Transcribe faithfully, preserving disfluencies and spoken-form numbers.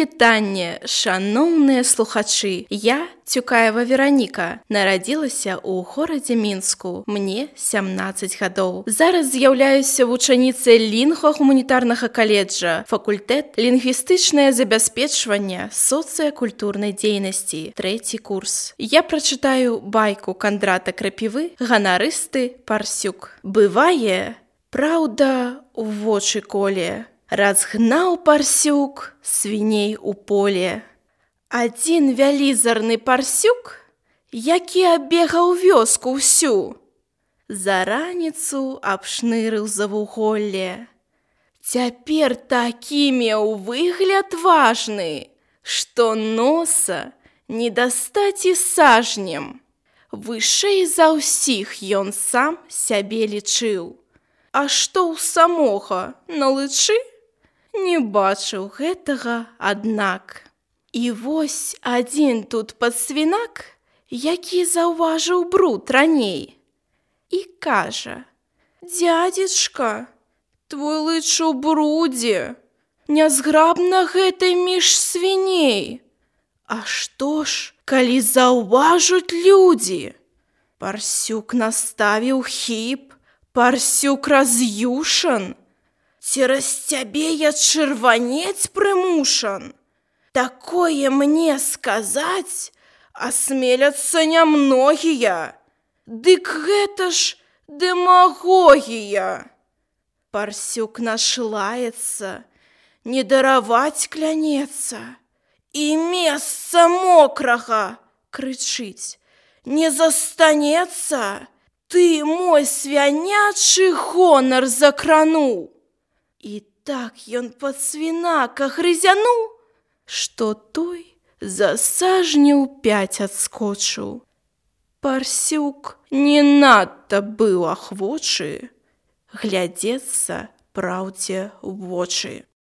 вітанне, шаноўныя слухачы. Я, Цюкаева Вераніка, нарадзілася ў горадзе Мінску. Мне сямнаццаць гадоў. Зараз з'яўляюся вучаніцай лінгва-гуманітарнага каледжа, факультэт лінгвістычнае забяспечванне соцыякультурнай дзейнасці, трэці курс. Я прачытаю байку Кандрата Крапівы «Ганарысты Парсюк». Бывае, праўда, у вочы коле. Разгнаў парсюк свіней у поле. Адзін вялізарны парсюк, які абегаў вёску ўсю, за раніцу абшнырыў завуголле. Цяпер такі меў выгляд важны, што носа не дастаць і сажнем. Вышэй за ўсіх ён сам сябе лічыў. А што ў самога на лычы? Не бачыў гэтага, аднак. І вось адзін тут падсвінак, які заўважыў бруд раней, і кажа: «Дзядзечка, твой лыч у брудзе, нязграбна гэтай між свіней. А што ж, калі заўважуць людзі?» Парсюк наставіў хіп, парсюк раз'юшан. «Цераз цябе я чырванець прымушан. Такое мне сказаць асмеляцца нямногія. Дык гэта ж дэмагогія!» Парсюк нашлаецца, не дараваць клянецца, і месца мокрага, крычыць, не застанецца. Ты мой свянячы гонар закрануў. І так ён падсвінака грызянуў, што той за сажняў пяць адскочыў. Парсюк не надта быў ахвочы глядзецца праўдзе ў вочы.